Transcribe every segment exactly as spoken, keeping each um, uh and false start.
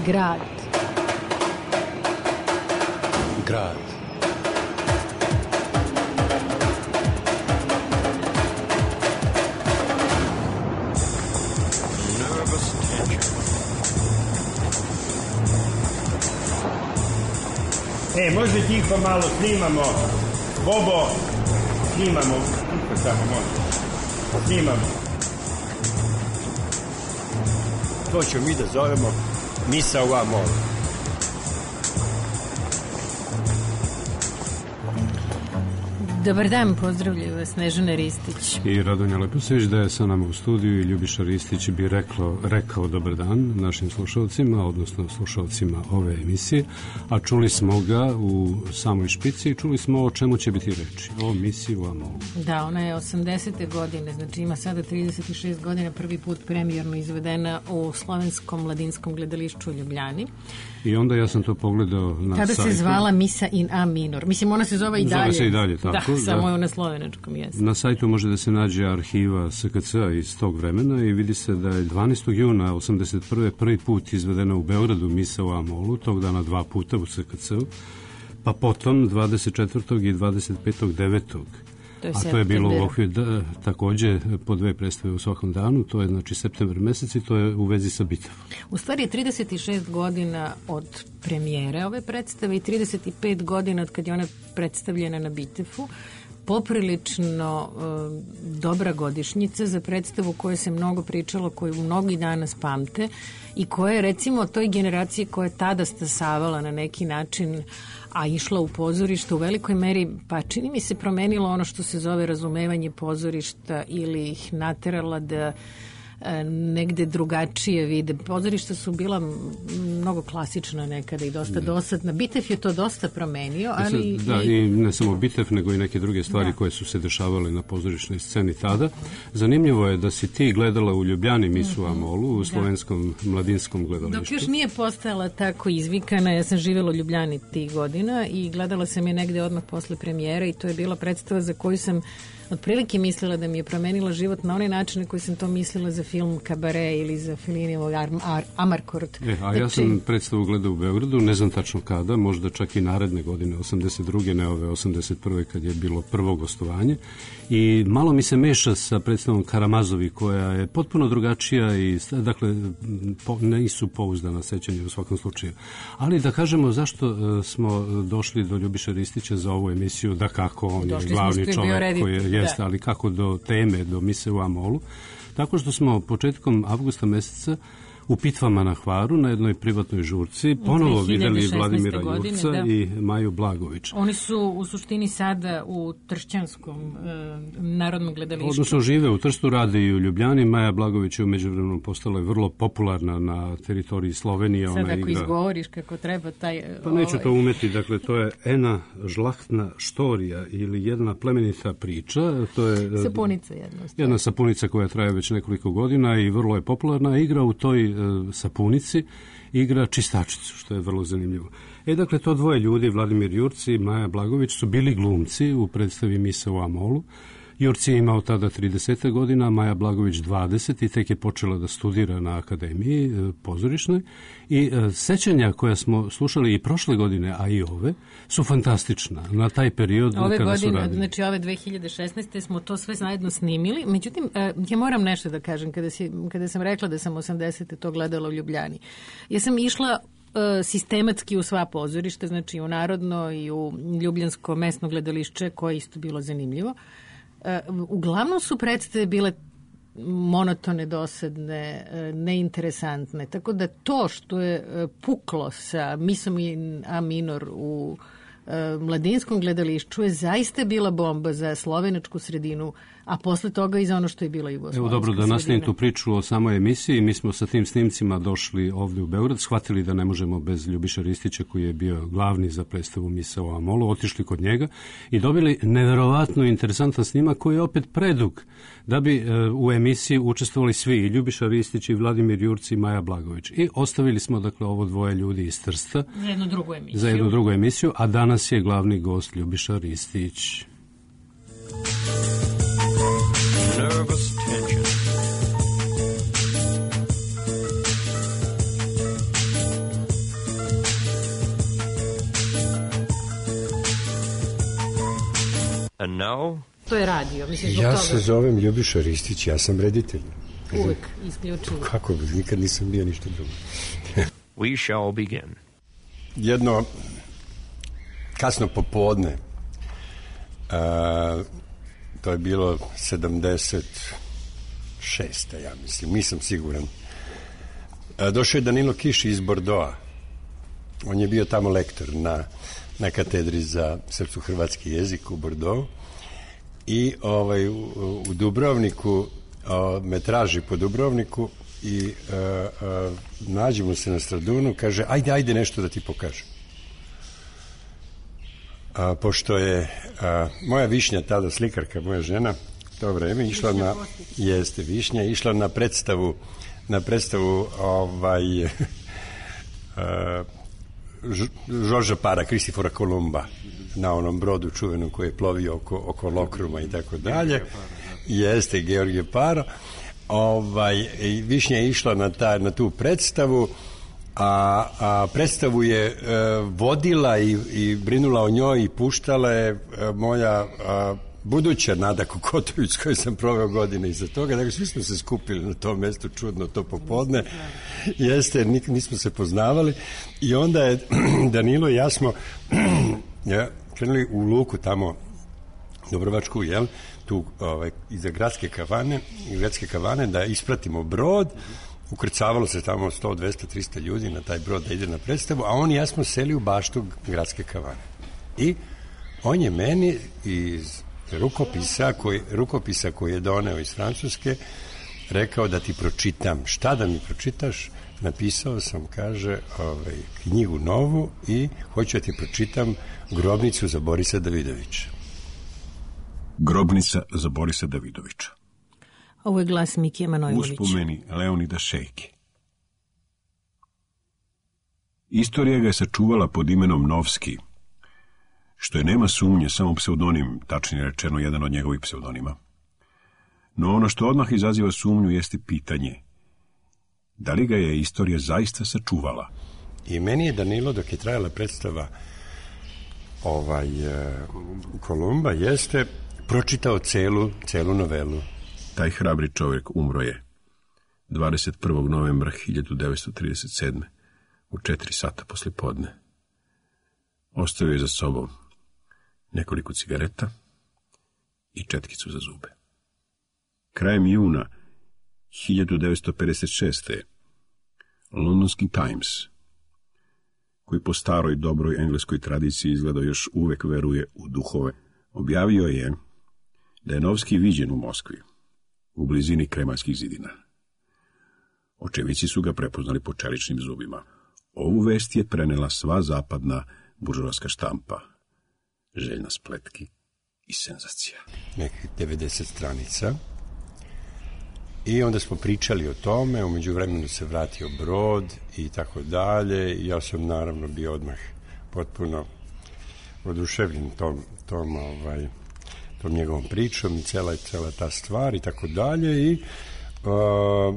Grad. Grad. E, može tiho malo, snimamo. Bobo, snimamo. Tiho samo, može. Snimamo. To ćemo mi da zovemo Misa u Amolu. Dobar dan, pozdravljaju vas Snežana Ristić i Radonja Leposević. Da je sa nama u studiju i Ljubiša Ristić bi reklo, rekao dobar dan našim slušalcima, odnosno slušalcima ove emisije, a čuli smo ga u samoj špici i čuli smo o čemu će biti reči, o Misi u Amolu. Da, ona je osamdesete godine, znači ima sada trideset šest godina, prvi put premijerno izvedena u Slovenskom mladinskom gledališću u Ljubljani. I onda ja sam to pogledao na Tada sajtu. Se zvala Misa in A minor. Mislim, ona se zove i dalje. Zove se i dalje, tako. Da, samo da. je na slovenačkom jeziku. Na sajtu može da se nađe arhiva S K C-a iz tog vremena i vidi se da je dvanaestog juna osamdeset prve prvi put izvedena u Beogradu Misa u Amolu, tog dana dva puta u S K C-u, pa potom dvadeset četvrtog i dvadeset petog devetog To je a to je bilo u okviru da, takođe po dve predstave u svakom danu, to je znači septembar mesec i to je u vezi sa Bitevom. U stvari je trideset šest godina od premijere ove predstave i trideset pet godina od kad je ona predstavljena na Bitefu. Poprilično e, dobra godišnjica za predstavu koju se mnogo pričalo, koju mnogi danas pamte i koja je recimo toj generaciji koja je tada stasavala na neki način, a išla u pozorište u velikoj meri, pa čini mi se promenilo ono što se zove razumevanje pozorišta ili ih naterala da negde drugačije vide. Pozorišta su bila mnogo klasična nekada i dosta dosadna. Bitev je to dosta promenio, ali... Da, i ne samo Bitev, nego i neke druge stvari da. koje su se dešavale na pozorišnoj sceni tada. Zanimljivo je da si ti gledala u Ljubljani Misu u Amolu, u slovenskom da. mladinskom gledalištu. Dok još nije postajala tako izvikana, ja sam živjela u Ljubljani tih godina i gledala sam je negde odmah posle premijere i to je bila predstava za koju sam otprilike mislila da mi je promenila život na onaj način na koji sam to mislila za film Kabare ili za Fellinijevog Amarcord. E, a ja sam predstavu gledao u Beogradu, ne znam tačno kada, možda čak i naredne godine, osamdeset druge ne ove osamdeset prve kad je bilo prvo gostovanje. I malo mi se meša sa predstavom Karamazovi koja je potpuno drugačija i dakle po, nisu pouzdana sećanja u svakom slučaju. Ali da kažemo zašto smo došli do Ljubiša Ristića za ovu emisiju, da kako on došli je glavni čovjek koji je, jeste, da. ali kako do teme, do Mise u Amolu. Tako što smo početkom avgusta meseca u Pitvama na Hvaru na jednoj privatnoj žurci ponovo videli Vladimira godine, Jurca da. i Maju Blagović. Oni su u suštini sada u Tršćanskom e, narodnom gledalištu. Odnosno žive u Trstu, rade i u Ljubljani. Maja Blagović je u međuvremenu postala je vrlo popularna na teritoriji Slovenije. Sad Ona ako igra... izgovoriš kako treba taj... Pa neću to umeti, dakle to je ena žlahtna štorija ili jedna plemenita priča. To je sapunica jedna. Jedna sapunica koja traje već nekoliko godina i vrlo je popularna. Igra u toj sapunici, igra čistačicu, što je vrlo zanimljivo. E, dakle, to dvoje ljudi, Vladimir Jurci i Maja Blagović, su bili glumci u predstavi Misa u Amolu. Jurci je imao tada trideset godina, Maja Blagović dvadeset i tek je počela da studira na akademiji e, pozorišnoj. I e, sećanja koja smo slušali i prošle godine, a i ove, su fantastična na taj period ove kada godine, su radili. Znači ove dve hiljade šesnaeste smo to sve zajedno snimili. Međutim, e, ja moram nešto da kažem kada, si, kada sam rekla da sam osamdesete to gledala u Ljubljani. Ja sam išla sistematski u sva pozorišta, znači u Narodno i u Ljubljansko mesno gledališće, koje isto bilo zanimljivo. Uglavnom su predstave bile monotone, dosadne, neinteresantne. Tako da to što je puklo sa Misom in A minor u mladinskom gledališću je zaista bila bomba za slovenačku sredinu, a posle toga i za ono što je bila jugoslovenska sredina. Evo dobro, da nastavim tu priču o samoj emisiji. Mi smo sa tim snimcima došli ovde u Beograd, shvatili da ne možemo bez Ljubiša Ristića, koji je bio glavni za predstavu Misa u Amolu, otišli kod njega i dobili neverovatno interesantan snimak koji je opet predug da bi e, u emisiji učestvovali svi, i Ljubiša Ristić i Vladimir Jurci i Maja Blagović. I ostavili smo dakle ovo dvoje ljudi iz Trsta za jednu drugu emisiju, za jednu drugu emisiju, a danas je glavni gost Ljubiša Ristić. Nervous tension. know? To je radio. Mislim, ja toga... se zovem Ljubiša Ristić, ja sam reditelj. Uvek isključivo. Kako, nikad nisam bio ništa drugo. We shall begin. Jedno kasno popodne, a, to je bilo sedamdeset šesta, ja mislim, nisam siguran. A, došao je Danilo Kiš iz Bordoa. On je bio tamo lektor na, na katedri za srpsko-hrvatski jezik u Bordeaux i ovaj, u, u Dubrovniku o, me traži po Dubrovniku i a, a, nađemo se na Stradunu, kaže ajde, ajde nešto da ti pokažem. A, pošto je a, moja Višnja, tada slikarka, moja žena, to vreme, išla na, jeste Višnja, išla na predstavu, na predstavu ovaj, a, Žorža Para, Kristifora Kolumba, na onom brodu čuvenom koji je plovio oko, oko Lokruma i tako dalje. Jeste, Georgije Paro. Ovaj, Višnja je išla na, ta, na tu predstavu, a, a predstavu je e, vodila i, i brinula o njoj i puštala je e, moja a, buduća Nada Kokotović, s kojoj sam proveo godine iza toga. Dakle, svi smo se skupili na tom mestu čudno to popodne. Jeste, nik, nismo se poznavali. I onda je Danilo i ja smo ja, krenuli u luku tamo Dobrovačku, jel, tu ovaj, iza gradske kavane, gradske kavane da ispratimo brod. Ukrcavalo se tamo sto, dvesta, trista ljudi na taj brod da ide na predstavu, a on i ja smo seli u baštu gradske kavane. I on je meni iz rukopisa koji, rukopisa koji je doneo iz Francuske rekao da ti pročitam. Šta da mi pročitaš? Napisao sam, kaže, ovaj, knjigu novu i hoću da ti pročitam Grobnicu za Borisa Davidovića. Grobnica za Borisa Davidovića. Ovo je glas Mikije Manojlovića. Uspomeni Leonida Šejke. Istorija ga je sačuvala pod imenom Novski, što je, nema sumnje, samo pseudonim, tačnije rečeno jedan od njegovih pseudonima. No ono što odmah izaziva sumnju jeste pitanje, da li ga je istorija zaista sačuvala? I meni je Danilo, dok je trajala predstava ovaj, Kolumba, jeste pročitao celu, celu novelu. Taj hrabri čovjek umro je dvadeset prvog novembra hiljadu devetsto trideset sedme u četiri sata posle podne. Ostavio je za sobom nekoliko cigareta i četkicu za zube. Krajem juna hiljadu devetsto pedeset šeste. Londonski Times, koji po staroj dobroj engleskoj tradiciji izgleda još uvek veruje u duhove, objavio je da je Novski viđen u Moskvi, u blizini Kremaljskih zidina. Očevici su ga prepoznali po čeličnim zubima. Ovu vest je prenela sva zapadna buržoaska štampa, željna spletki i senzacija. Nekih devedeset stranica. I onda smo pričali o tome, umeđu vremenu se vratio brod i tako dalje. I ja sam naravno bio odmah potpuno oduševljen tom, tom, ovaj, tom njegovom pričom i cela, cela ta stvar i tako dalje. I uh,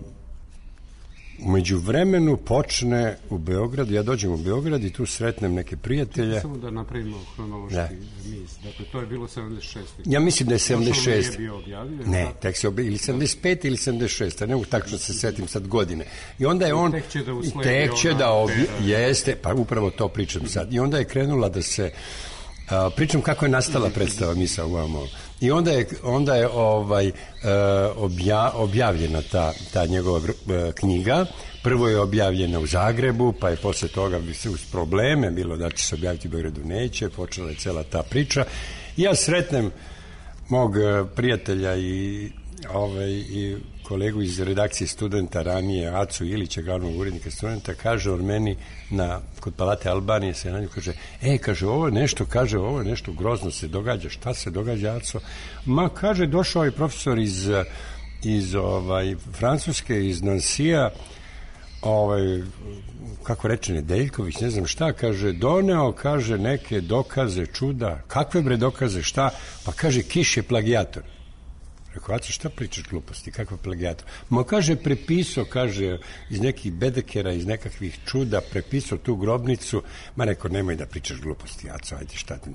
umeđu vremenu počne u Beogradu, ja dođem u Beograd i tu sretnem neke prijatelje. Samo da napravimo hronološki niz. Dakle, to je bilo sedamdeset šeste. Ja mislim da je sedamdeset šeste. Nije bio objavljen. Ne, tek se objavio, ili sedamdeset pete ili sedamdeset šeste, ne mogu tačno se setim sad godine. I onda je on, tek će da usledi tek će ona, da obje, jeste, pa upravo to pričam sad. I onda je krenula da se, a, pričam kako je nastala predstava Misa u Amol. I onda je, onda je ovaj, obja, objavljena ta, ta njegova knjiga. Prvo je objavljena u Zagrebu, pa je posle toga uz probleme bilo da će se objaviti u Beogradu, neće, počela je cela ta priča. I ja sretnem mog prijatelja i, ovaj, i kolegu iz redakcije Studenta ranije, Acu Ilića, glavnog urednika Studenta, kaže on meni na, kod Palate Albanije se na nju kaže, e, kaže, ovo je nešto, kaže, ovo je nešto grozno se događa, šta se događa, Aco? Ma, kaže, došao je profesor iz, iz ovaj, Francuske, iz Nansija, ovaj, kako reče Nedeljković, ne znam šta, kaže, doneo, kaže, neke dokaze, čuda. Kakve bre dokaze, šta? Pa kaže, Kiš je plagijator. Rekao, Aco, šta pričaš gluposti, kakva plagijator? Ma, kaže, prepisao, kaže, iz nekih bedekera, iz nekakvih čuda, prepisao tu grobnicu. Ma, rekao, nemoj da pričaš gluposti, Aco, ajde, šta ti,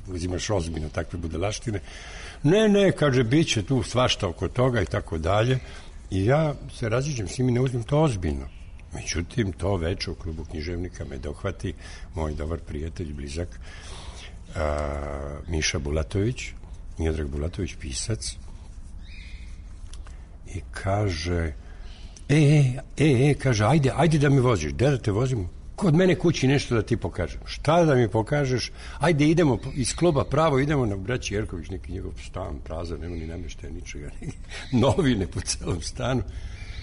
uzimaš ozbiljno takve budalaštine. Ne, ne, kaže, bit će tu svašta oko toga i tako dalje. I ja se raziđem s njim i ne uzmem to ozbiljno. Međutim, to veče u klubu književnika me dohvati moj dobar prijatelj, blizak, a, Miša Bulatović, Miodrag Bulatović, pisac, i kaže, e, e, e, e, kaže, ajde, ajde da me voziš, gde da te vozim? Kod mene kući nešto da ti pokažem. Šta da mi pokažeš? Ajde, idemo iz kluba pravo, idemo na Braći Jerković, neki njegov stan, prazan, nema ni namještaja, ničega, novine po celom stanu.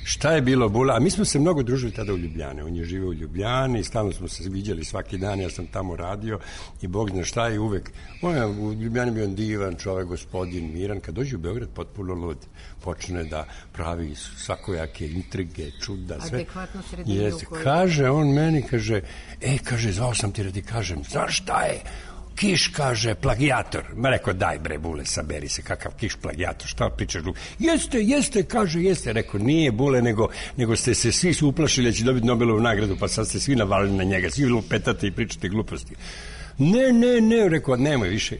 Šta je bilo, Bula? A mi smo se mnogo družili tada u Ljubljane. On je živio u Ljubljani i stalno smo se viđali svaki dan, ja sam tamo radio i Bog zna šta je uvek. On je u Ljubljani bio divan čovek, gospodin, miran. Kad dođe u Beograd, potpuno lud. Počne da pravi svakojake intrige, čuda, sve. Adekvatno sredinu u kojoj... Kaže on meni, kaže, e, kaže, zvao sam ti da ti kažem, znaš šta je? Kiš, kaže, plagijator. Ma rekao, daj bre, Bule, saberi se, kakav Kiš plagijator, šta pričaš? Jeste, jeste, kaže, jeste. Rekao, nije Bule, nego, nego ste se svi su uplašili da će dobiti Nobelovu nagradu, pa sad ste svi navalili na njega, svi lupetate i pričate gluposti. Ne, ne, ne, rekao, nemoj više.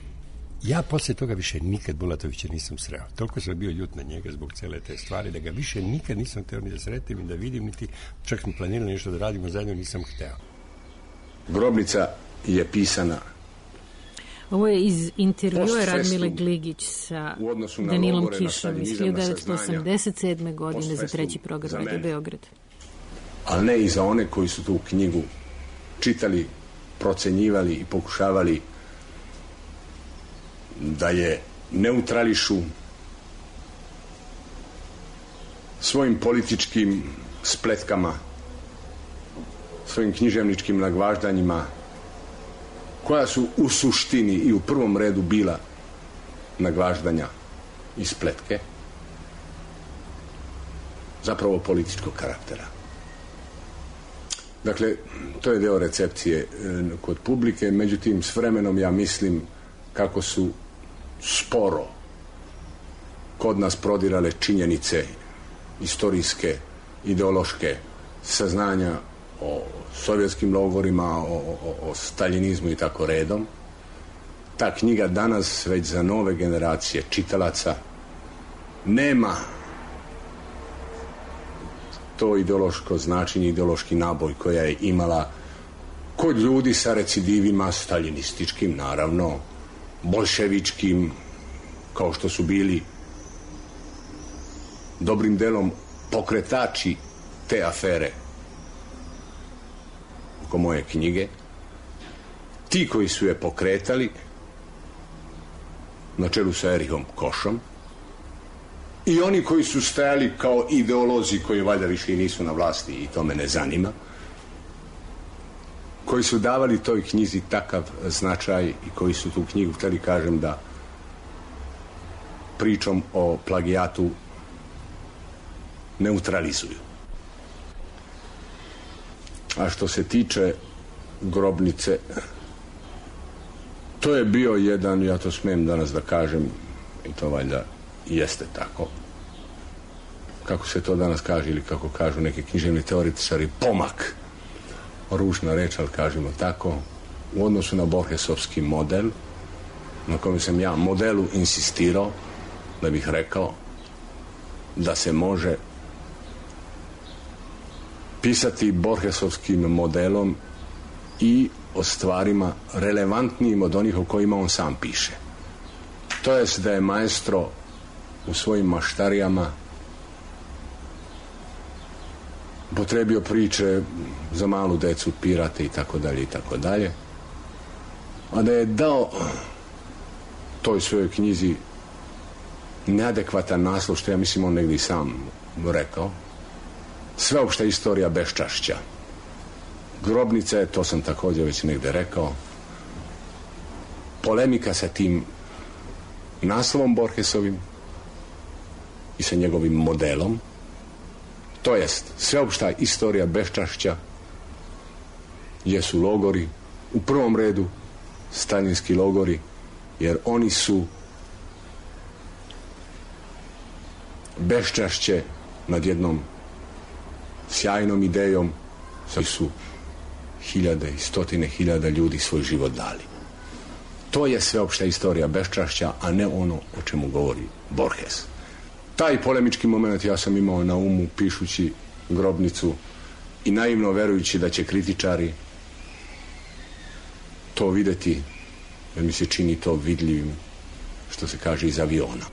Ja posle toga više nikad Bulatovića nisam sreo. Toliko sam bio ljut na njega zbog cele te stvari, da ga više nikad nisam hteo ni da sretim i da vidim, niti čak smo planirali nešto da radimo zajedno, nisam hteo. Grobnica je pisana. Ovo je iz intervjua Radmile Gligić sa Danilom Kišom iz hiljadu devetsto osamdeset sedme. godine za treći program Radio Beograd. Ali ne i za one koji su tu knjigu čitali, procenjivali i pokušavali da je neutrališu svojim političkim spletkama, svojim književničkim nagvaždanjima, koja su u suštini i u prvom redu bila nagvaždanja i spletke, zapravo političkog karaktera. Dakle, to je deo recepcije kod publike, međutim, s vremenom ja mislim kako su sporo kod nas prodirale činjenice istorijske, ideološke, saznanja o sovjetskim logorima, o, o, o staljinizmu i tako redom. Ta knjiga danas već za nove generacije čitalaca nema to ideološko značenje, ideološki naboj koja je imala kod ljudi sa recidivima staljinističkim, naravno, bolševičkim, kao što su bili dobrim delom pokretači te afere oko moje knjige. Ti koji su je pokretali na čelu sa Erihom Košom i oni koji su stajali kao ideolozi koji valjda više i nisu na vlasti i to me ne zanima, koji su davali toj knjizi takav značaj i koji su tu knjigu hteli, kažem, da pričom o plagijatu neutralizuju. A što se tiče grobnice, to je bio jedan, ja to smijem danas da kažem, i to valjda jeste tako, kako se to danas kaže ili kako kažu neki književni teoretičari, pomak, ružna reč, ali kažemo tako, u odnosu na Borgesovski model, na kojem sam ja modelu insistirao, da bih rekao da se može pisati Borgesovskim modelom i o stvarima relevantnijim od onih o kojima on sam piše. To jest da je maestro u svojim maštarijama potrebio priče za malu decu, pirate i tako dalje i tako dalje, a da je dao toj svojoj knjizi neadekvatan naslov, što ja mislim on negdje i sam rekao, Sveopšta istorija beščašća. Grobnica je, to sam također već negdje rekao, polemika sa tim naslovom Borgesovim i sa njegovim modelom, to jest sveopšta istorija beščašća jesu logori, u prvom redu staljinski logori, jer oni su beščašće nad jednom sjajnom idejom, koji su hiljade i stotine hiljada ljudi svoj život dali. To je sveopšta istorija beščašća, a ne ono o čemu govori Borges. Taj polemički moment ja sam imao na umu pišući Grobnicu i naivno verujući da će kritičari to videti, jer mi se čini to vidljivim, što se kaže, iz aviona.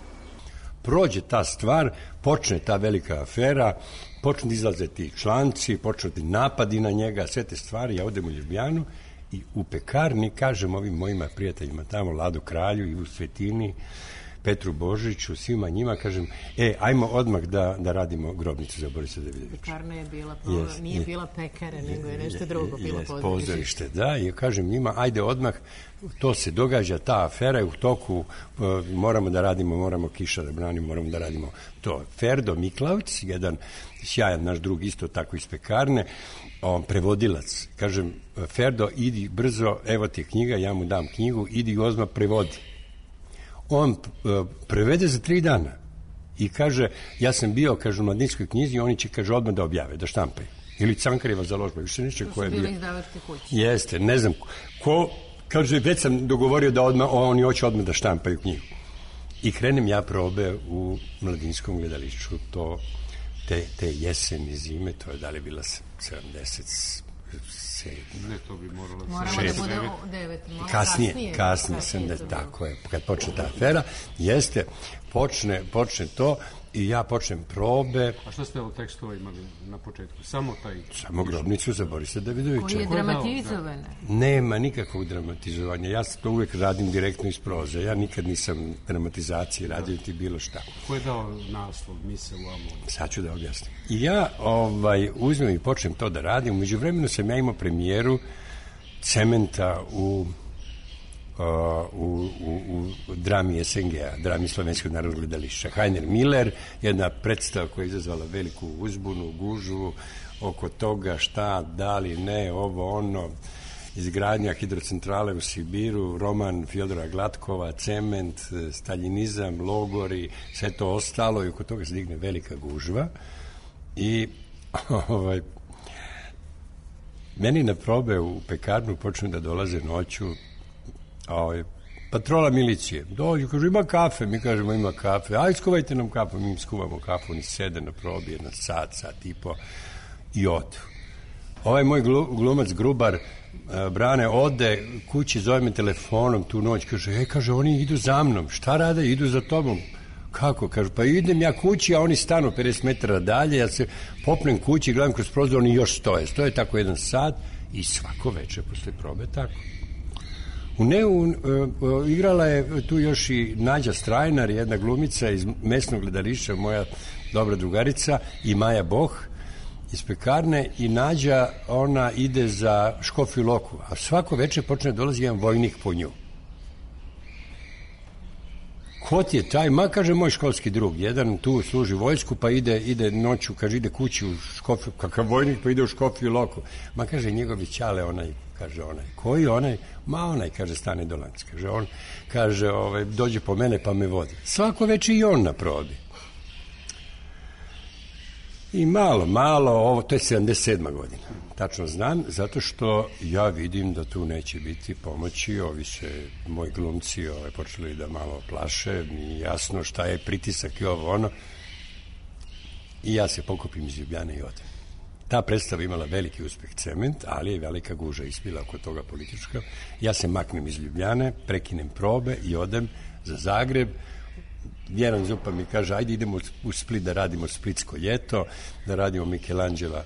Prođe ta stvar, počne ta velika afera, počne izlaze ti članci, počne ti napadi na njega, sve te stvari, ja odem u Ljubljanu i u pekarni kažem ovim mojima prijateljima tamo, Ladu Kralju i u Svetini, Petru Božiću, svima njima, kažem, e, ajmo odmah da, da radimo Grobnicu za Borisa Davidovića. Pekarna je bila, po, yes, nije je, bila pekare, nego je nešto drugo, je, bilo yes, pozorište. pozorište. Da, i kažem njima, ajde odmah, to se događa, ta afera je u toku, uh, moramo da radimo, moramo Kiša da branimo, moramo da radimo to. Ferdo Miklavc, jedan sjajan naš drug, isto tako iz pekarne, on prevodilac, kažem, Ferdo, idi brzo, evo ti knjiga, ja mu dam knjigu, idi odmah prevodi. On uh, prevede za tri dana i kaže, ja sam bio, kaže, u Mladinskoj knjizi i oni će, kaže, odmah da objave, da štampaju. Ili Cankareva založba, više neće ko je bio. To su bili izdavačke kuće. Jeste, ne znam ko, kaže, već sam dogovorio da odmah, oni hoće odmah da štampaju knjigu. I krenem ja probe u Mladinskom gledališću, to, te, te jeseni, zime, to je da li bila sedamdeset Ne, to bi moralo... Moramo da bude devet, malo kasnije. Kasnije, kasnije, sam da, tako je, kad počne ta afera, jeste, počne, počne to i ja počnem probe. A što ste ovo tekstova imali na početku? Samo taj... Samo Grobnicu za Borisa Davidovića. Koji je dramatizovan? Nema nikakvog dramatizovanja. Ja to uvek radim direktno iz proze. Ja nikad nisam dramatizaciji radio ti bilo šta. Ko je dao naslov Mise u Amonu? Sad ću da objasnim. I ja ovaj, uzmem i počnem to da radim. Umeđu vremenu sam ja imao premijeru Cementa u Uh, u, u, u drami S N G-a, drami Slovenskog narodnog gledališća. Heiner Miller, jedna predstava koja je izazvala veliku uzbunu, gužu oko toga šta, da li, ne, ovo, ono, izgradnja hidrocentrale u Sibiru, roman Fjodora Glatkova, Cement, staljinizam, logori, sve to ostalo i oko toga se digne velika gužva i ovaj, meni na probe u pekarnu počnu da dolaze noću Ovaj, patrola milicije. Dođu, kažu, ima kafe, mi kažemo ima kafe, aj skuvajte nam kafu, mi im skuvamo kafu, oni sede na probi, jedan sat, sat i po i odu. Ovaj moj glumac Grubar, Brane, ode kući, zove me telefonom tu noć, kaže, e, kaže, oni idu za mnom, šta rade, idu za tobom. Kako? Kaže, pa idem ja kući, a oni stanu pedeset metara dalje, ja se popnem kući, gledam kroz prozor, oni još stoje. Stoje tako jedan sat i svako večer posle probe tako. U Neu uh, uh, igrala je tu još i Nađa Strajnar, jedna glumica iz mesnog gledališća, moja dobra drugarica, i Maja Boh iz pekarne, i Nađa, ona ide za Škofju Loku, a svako večer počne dolazi jedan vojnik po nju. Ko ti je taj? Ma, kaže, moj školski drug, jedan tu služi vojsku, pa ide, ide noću, kaže, ide kući u Škofju, kakav vojnik, pa ide u Škofju Loku. Ma, kaže, njegovi ćale, onaj, kaže, onaj, koji onaj? Ma, onaj, kaže, Stane Dolanc, kaže, on, kaže, ovaj, dođe po mene pa me vodi. Svako večer i on na probi. I malo, malo, ovo, to je sedamdeset sedma godina, tačno znam, zato što ja vidim da tu neće biti pomoći, ovi se, moji glumci, ovaj, počeli da malo plaše, mi jasno šta je pritisak i ovo, ono, i ja se pokupim iz Ljubljane i odem. Ta predstava imala veliki uspeh, Cement, ali je velika guža ispila oko toga politička. Ja se maknem iz Ljubljane, prekinem probe i odem za Zagreb. Vjeran Zupa mi kaže, ajde idemo u Split da radimo Splitsko ljeto, da radimo Michelangela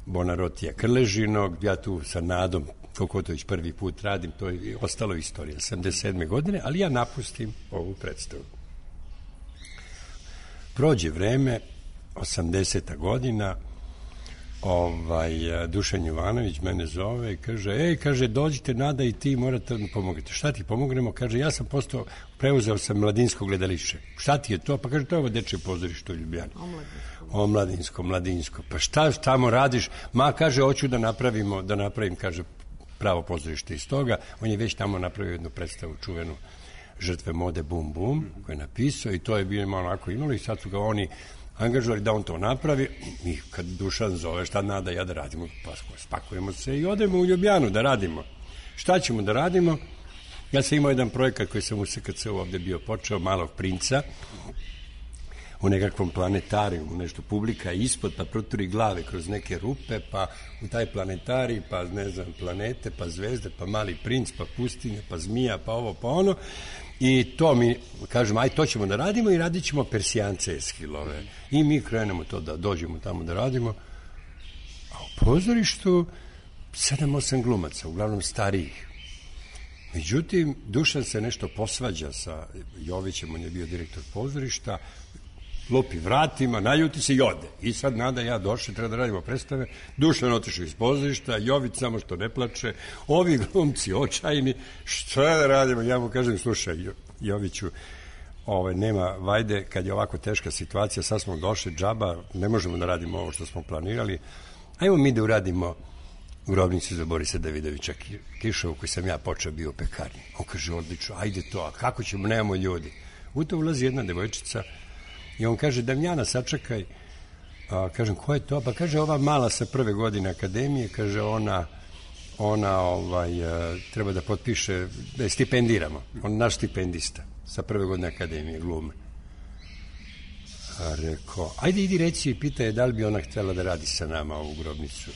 Bonarotija Krležinog, ja tu sa Nadom Kokotović prvi put radim, to je ostalo istorija, sedamdeset sedme godine, ali ja napustim ovu predstavu. Prođe vreme, osamdeseta godina, ovaj, Dušan Jovanović mene zove i kaže, ej, kaže, dođite, Nada, i ti morate da mi pomognete. Šta ti pomognemo? Kaže, ja sam postao, preuzeo sam Mladinsko gledališće. Šta ti je to? Pa kaže, to je ovo dečje pozorište u Ljubljani. O, Mladinsko, Mladinsko. Pa šta tamo radiš? Ma, kaže, hoću da napravimo, da napravim, kaže, pravo pozorište iz toga. On je već tamo napravio jednu predstavu čuvenu Žrtve mode Bum Bum, koju je napisao, i to je bilo onako imalo, i sad su ga oni angažovali da on to napravi, i kad Dušan zove, šta Nada, ja da radimo, pa spakujemo se i odemo u Ljubljanu da radimo. Šta ćemo da radimo? Ja sam imao jedan projekat koji sam u S K C-u ovde bio počeo, Malog princa, u nekakvom planetariju, nešto publika ispod, pa proturi glave kroz neke rupe, pa u taj planetarij, pa ne znam, planete, pa zvezde, pa Mali princ, pa pustinje, pa zmija, pa ovo, pa ono. I to mi, kažemo, aj to ćemo da radimo i radit ćemo Persijance Eskilove. I mi krenemo to da dođemo tamo da radimo. A u pozorištu sedam osam glumaca, uglavnom starijih. Međutim, Dušan se nešto posvađa sa Jovićem, on je bio direktor pozorišta, lupi vratima, naljuti se i ode. I sad Nada i ja došli, treba da radimo predstave, Dušan otišao iz pozorišta, Jović samo što ne plače, ovi glumci očajni, što da radimo? Ja mu kažem, slušaj, Joviću, ovaj, nema vajde, kad je ovako teška situacija, sad smo došli, džaba, ne možemo da radimo ovo što smo planirali, ajmo mi da uradimo Grobnicu za Borisa Davidovića Kišovu, koji sam ja počeo bio u pekarni. On kaže, odlično, ajde to, a kako ćemo, nemamo ljudi. U to ulazi jedna devojčica i on kaže, Damjana, sačekaj. A, kažem, ko je to? Pa kaže, ova mala sa prve godine akademije, kaže, ona, ona ovaj, treba da potpiše, da je stipendiramo. On je naš stipendista sa prve godine akademije, glume. A rekao, ajde idi reci i pita je da li bi ona htela da radi sa nama ovu Grobnicu.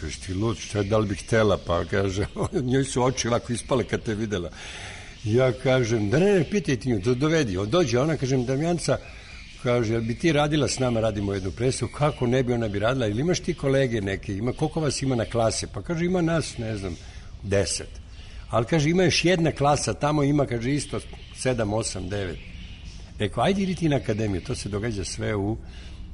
Kaže, ti lud, šta da li bi htela? Pa kaže, njoj su oči lako ispale kad te videla. Ja kažem, da ne, ne, pitaj ti nju, do, dovedi. On dođe, ona, kažem, Damjanca, kaže, jel bi ti radila s nama, radimo jednu predstavu, kako ne bi ona bi radila, ili imaš ti kolege neke, ima, koliko vas ima na klase? Pa kaže, ima nas, ne znam, deset. Ali kaže, ima još jedna klasa, tamo ima, kaže, isto sedam, osam, devet. Rekao, ajde idi ti na akademiju, to se događa sve u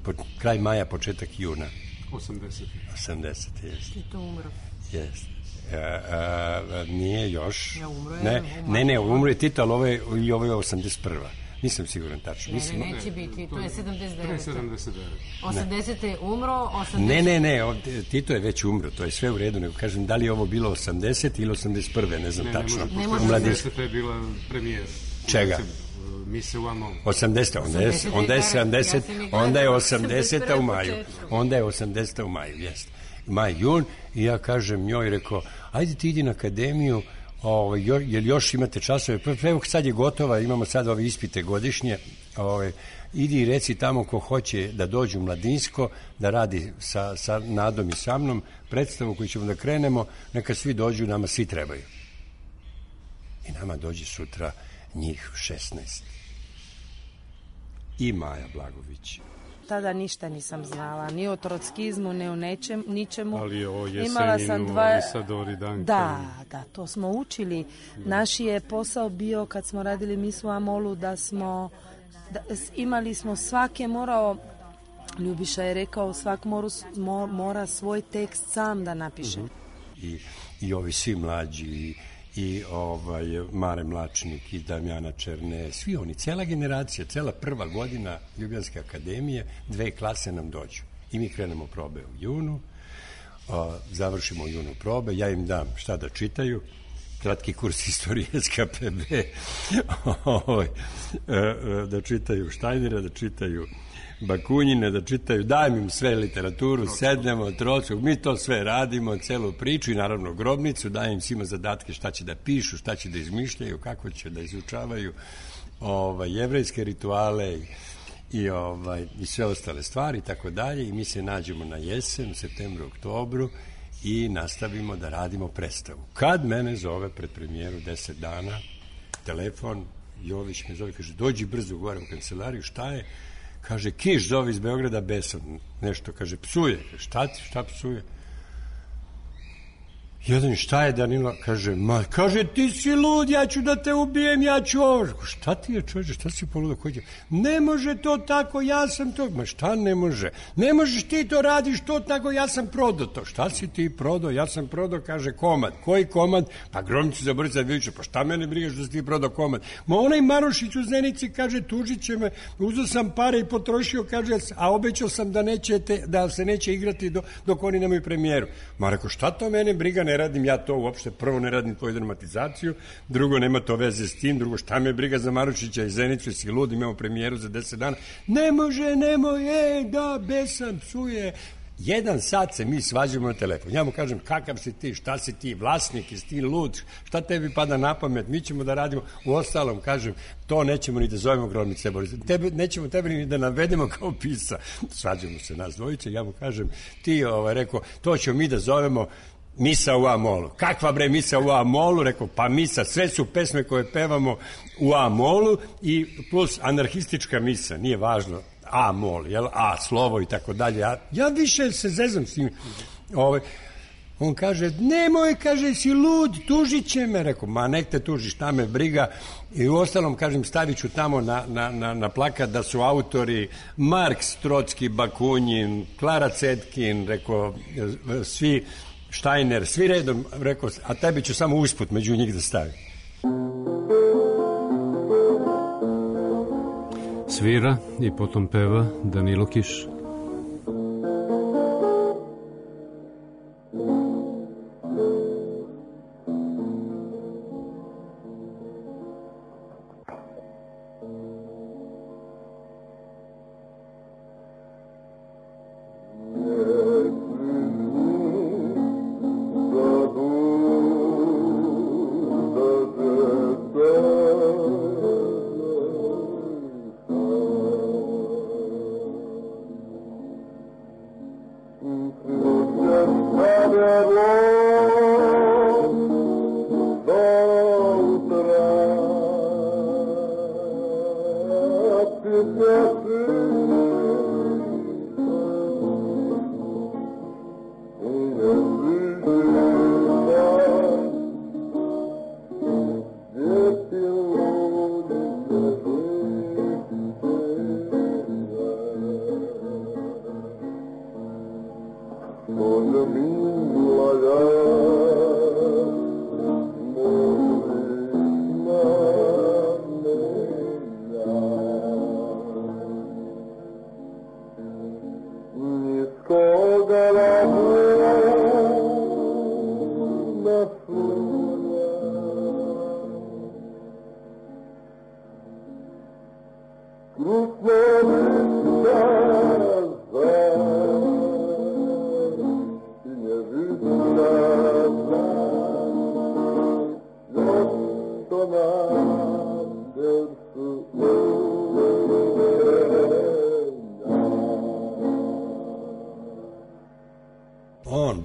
po, kraj maja, početak juna. osamdeset. osamdeset, jeste. I to umro. Jeste. A, a, a, nije još. Ja umro je. Ne, ne, ne, umro je Tito, ali ovo je, i ovo je osamdeset prva. Nisam siguran tačno. Ne, Mislim, ne, neće biti, to je sedamdeset devet. sedamdeset devet. osamdeset je umro, osamdeset... Ne, ne, ne, ovdje, Tito je već umro, to je sve u redu, nego kažem da li je ovo bilo osamdeset ili osamdeset prve, ne znam ne, tačno. Ne, može, osamdeset je bila premijera. Čega? Mise u Amonu. osamdeset, onda je, onda je sedamdeset, onda je osamdeseta u maju. Onda je osamdeseta u maju, jeste. Maj, jun, i ja kažem njoj, rekao, ajde ti idi na akademiju, o, jer još imate časove, evo sad je gotova, imamo sad ove ispite godišnje, o, idi i reci tamo ko hoće da dođe u Mladinsko, da radi sa, sa Nadom i sa mnom, predstavu koju ćemo da krenemo, neka svi dođu, nama svi trebaju. I nama dođe sutra njih šesnaest. I Maja Blagović. Tada ništa nisam znala, ni o trockizmu, ni o nečem, ničemu. Ali o Jeseninu, Imala sam dva... Isadori Duncan. Da, da, to smo učili. Naš je posao bio, kad smo radili Misu Amolu, da smo, da, imali smo, svak je morao, Ljubiša je rekao, svak moru, mora svoj tekst sam da napiše. Uh-huh. I, I ovi svi mlađi, i, i ovaj, Mare Mlačnik, i Damjana Černe, svi oni, cela generacija, cela prva godina Ljubljanske akademije, dve klase nam dođu. I mi krenemo probe u junu, o, završimo u junu probe, ja im dam šta da čitaju, kratki kurs istorije S K P B, o, da čitaju Štajnera, da čitaju Bakunjine, da čitaju, dajem im sve literaturu, sednemo, Trockog, mi to sve radimo, celu priču i naravno Grobnicu, dajem im svima zadatke šta će da pišu, šta će da izmišljaju, kako će da izučavaju ovaj, jevrejske rituale i, i, ovaj, i sve ostale stvari i tako dalje, i mi se nađemo na jesen, u septembru, oktobru i nastavimo da radimo predstavu. Kad mene zove pred premijeru deset dana, telefon, Jović me zove, kaže, dođi brzo gore u kancelariju, šta je? Kaže, Kiš zove iz Beograda, besan, nešto, kaže, psuje. Šta ti, šta psuje? Jedan, šta je Danilo? Kaže, ma, kaže, ti si lud, ja ću da te ubijem, ja ću ovo. Šta ti je, čovječe, šta si poludo? Ne može to tako, ja sam to. Ma šta ne može? Ne možeš ti to radiš to tako, ja sam prodao to. Šta si ti prodao? Ja sam prodao, kaže, komad. Koji komad? Pa Grobnicu za Borisa Davidovića. Pa šta mene brigaš da si ti prodao komad? Ma onaj Marošić u Zenici, kaže, tužit će me, uzeo sam pare i potrošio, kaže, a obećao sam da, nećete, da se neće igrati do, dok oni nemaju premijeru. Ma rekao, šta to mene briga, ne radim ja to uopšte, prvo ne radim tvoju dramatizaciju, drugo nema to veze s tim, drugo šta me briga za Marušića i Zenicu, si lud, imamo premijeru za deset dana, ne može, nemoj, e, da, besan, psuje. Jedan sat se mi svađamo na telefon. Ja mu kažem, kakav si ti, šta si ti, vlasnik, jesi ti lud, šta tebi pada na pamet, mi ćemo da radimo. U ostalom, kažem, to nećemo ni da zovemo Gromnice Boris. Tebe, nećemo tebe ni da navedemo kao pisa. Svađamo se nas dvojice, ja mu kažem, ti, ovaj, rekao, to ćemo mi da zovemo misa u A-molu. Kakva bre misa u A-molu? Rekao, pa misa, sve su pesme koje pevamo u A-molu i plus anarhistička misa, nije važno A-mol, jel, A slovo i tako dalje. Ja, ja više se zezam s njim. Ovaj, on kaže, nemoj, kaže, si lud, tužit će me. Rekao, ma nek te tuži, šta me briga. I u ostalom, kažem, stavit ću tamo na, na, na, na plakat da su autori Marks, Trotski, Bakunin, Klara Cetkin, rekao, svi Steiner, svi redom, rekao, a tebi ću samo usput među njih da stavim. Svira i potom peva Danilo Kiš.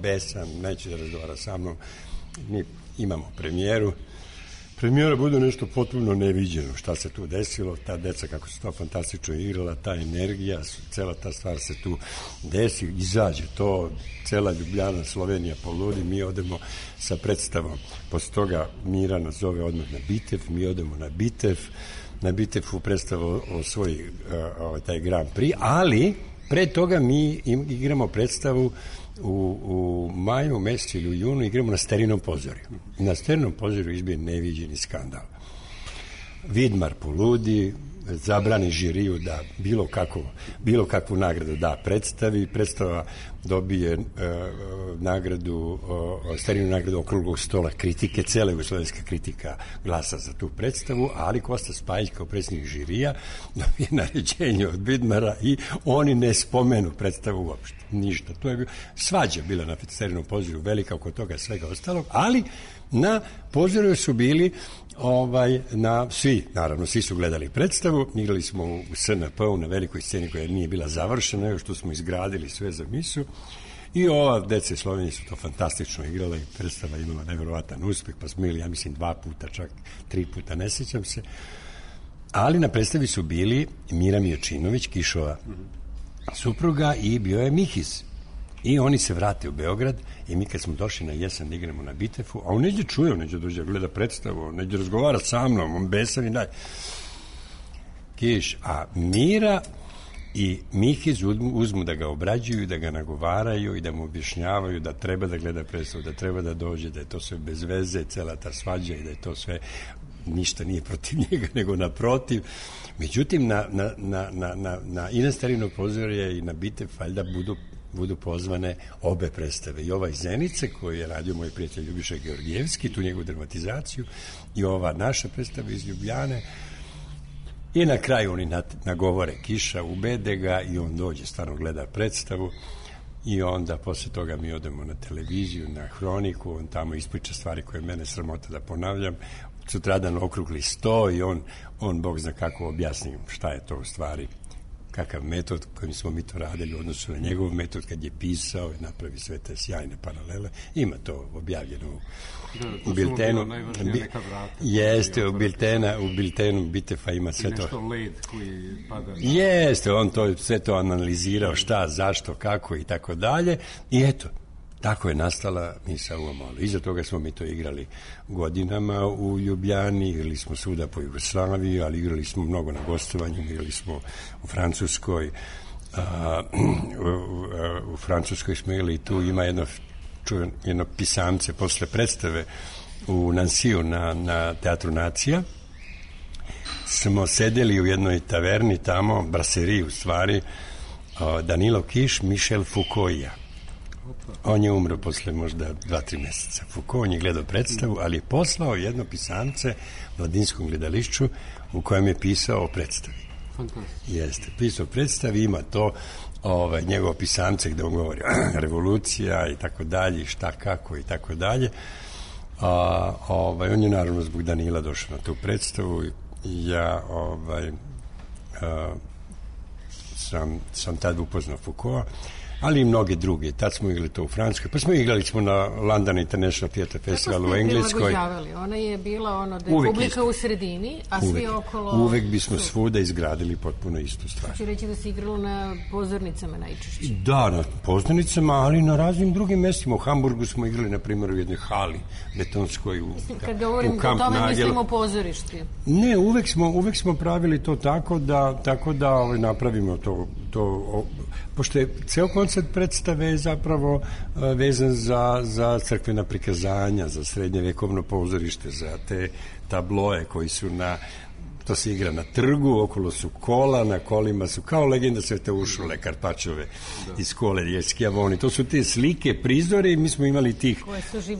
Besan, neće da razgovara sa mnom, mi imamo premijeru. Premijera bude nešto potpuno neviđeno, šta se tu desilo, ta deca kako se to fantastično igrala, ta energija, cela ta stvar se tu desi, izađe to, cela Ljubljana, Slovenija poludi, mi odemo sa predstavom, posle toga Mira nas zove odmah na Bitev, mi odemo na Bitev, na Bitevu predstavu o svoj, o, taj Grand Prix, ali pre toga mi igramo predstavu U, u maju mesecu ili u junu igramo na Sterinom pozorju. Na Sterinom pozorju izbije neviđeni skandal. Vidmar poludi, zabrani žiriju da bilo, kako, bilo kakvu nagradu da predstavi. Predstava dobije e, nagradu, e, Sterinu nagradu okruglog stola kritike, cela jugoslovenska kritika glasa za tu predstavu, ali Kosta Spajić kao predsjednik žirija dobije naređenje od Vidmara i oni ne spomenu predstavu uopšte. Ništa. To je bilo, svađa bila na Sterinom pozorju, velika oko toga svega ostalog, ali na pozorju su bili ovaj, na, svi, naravno, svi su gledali predstavu, igrali smo u S N P-u na velikoj sceni koja nije bila završena, još što smo izgradili sve za misu i ova deca iz Slovenije su to fantastično igrala i predstava imala nevjerovatan uspeh, pa smo imali, ja mislim, dva puta, čak tri puta, ne sjećam se, ali na predstavi su bili Mira Mijočinović, Kišova supruga i bio je Mihis. I oni se vrate u Beograd i mi kad smo došli na jesen da igramo na Bitefu, a on neđe čuje, on neđe dođe gleda predstavu, on neđe razgovara sa mnom, on besan i dalje. Kiš, a Mira i Mihis uzmu, uzmu da ga obrađuju, da ga nagovaraju i da mu objašnjavaju da treba da gleda predstavu, da treba da dođe, da je to sve bez veze, cela ta svađa i da je to sve, ništa nije protiv njega, nego naprotiv. Međutim, na, na, na, na, na, na i na Starino pozorje i na Bitev, valjda budu budu pozvane obe predstave. I ova iz Zenice, koju je radio moj prijatelj Ljubiša Georgijevski, tu njegovu dramatizaciju, i ova naša predstava iz Ljubljane. I na kraju oni nagovore Kiša, ubede ga i on dođe, stvarno gleda predstavu. i onda posle toga mi odemo na televiziju, na Hroniku, on tamo ispriča stvari koje mene sramota da ponavljam, sutradan okrugli sto i on, on Bog zna kako objasni šta je to u stvari, kakav metod kojim smo mi to radili u odnosu na njegov metod kad je pisao i napravi sve te sjajne paralele. Ima to objavljeno u, da, u biltenu. Bi, vrata, jeste, u biltena, u biltenu Bitefa ima sve to. Nešto led koji pada. Jeste, on to sve to analizirao, šta, zašto, kako i tako dalje. I eto, tako je nastala Misa u Amolu. Iza toga smo mi to igrali godinama u Ljubljani, igrali smo svuda po Jugoslaviji, ali igrali smo mnogo na gostovanju, igrali smo u Francuskoj. A, u, u, u Francuskoj smo igrali, tu ima jedno, čujem, jedno pisamce posle predstave u Nansiju na, na Teatru Nacija. Smo sedeli u jednoj taverni tamo, braseriji u stvari, Danilo Kiš, Michel Foucault. On je umro posle možda dva, tri meseca. Foucault, on je gledao predstavu, ali je poslao jedno pisamce Mladinskom gledališću u kojem je pisao o predstavi. Jeste, pisao o predstavi, ima to ovaj, njegovo pisamce gde on govori revolucija i tako dalje, šta, kako i tako dalje. A, ovaj, on je naravno zbog Danila došao na tu predstavu i ja ovaj, a, sam, sam tad upoznao Foucaulta, ali i mnoge druge. Tad smo igrali to u Francuskoj, pa smo igrali smo na London International Theatre Festival u Engleskoj. Ona je bila ono da je uvek publika isto u sredini, a uvek, svi okolo... Uvek bismo svuda izgradili potpuno istu stvar. Znači reći da se igralo na pozornicama najčešće? Da, na pozornicama, ali na raznim drugim mestima. U Hamburgu smo igrali, na primjer, u jednoj hali betonskoj, u, mislim, kad govorim u Kamp tome, Nagel. Mislimo pozorišti. Ne, uvek smo, uvek smo pravili to tako da, tako da ovaj, napravimo to, to o, pošto je ceo koncept predstave zapravo vezan za, za crkvena prikazanja, za srednjevekovno pozorište, za te tabloje koji su na, to se igra na trgu, okolo su kola, na kolima su kao legenda Svete Uršule, Karpačove da. Iz Kole, Skijavoni, to su te slike, prizore i mi smo imali tih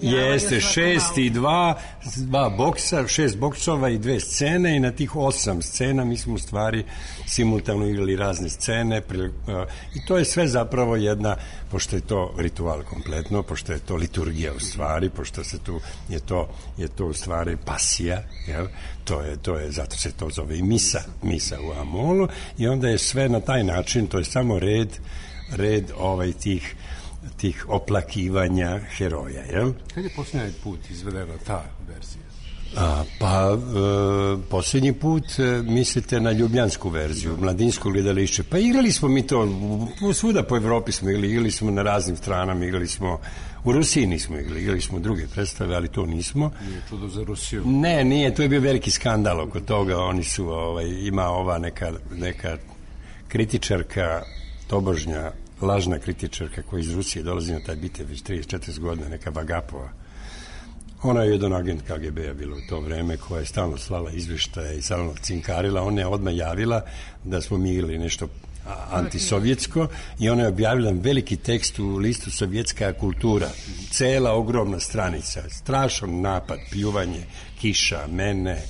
jeste, šest i dva, dva boksa, šest boksova i dve scene i na tih osam scena mi smo u stvari simultano igrali razne scene pri, uh, i to je sve zapravo jedna, pošto je to ritual kompletno, pošto je to liturgija u stvari, pošto se tu je to, je to u stvari pasija, jel? To je, to je, zato se to zove i misa, misa u Amolu i onda je sve na taj način, to je samo red, red ovaj tih, tih oplakivanja heroja, jel? Kad je posljednji put izvedena ta verzija? A, pa, e, posljednji put e, mislite na ljubljansku verziju, Mladinsko gledališće. Pa igrali smo mi to, u, svuda po Evropi smo igrali, igrali smo na raznim stranama, igrali smo, u Rusiji nismo igrali, igrali smo druge predstave, ali to nismo. Nije čudo za Rusiju. Ne, nije, to je bio veliki skandal oko toga, oni su, ovaj, ima ova neka, neka kritičarka, tobožnja, lažna kritičarka koja iz Rusije dolazi na taj bitev već trideset četrdeset godina, neka Vagapova. Ona je jedan agent K G B-a bila u to vreme koja je stalno slala izveštaje i stalno cinkarila. Ona je odmah javila da smo mi igrali nešto antisovjetsko i ona je objavila veliki tekst u listu Sovjetska kultura. Cela ogromna stranica. Strašan napad, pljuvanje, kiša, mene,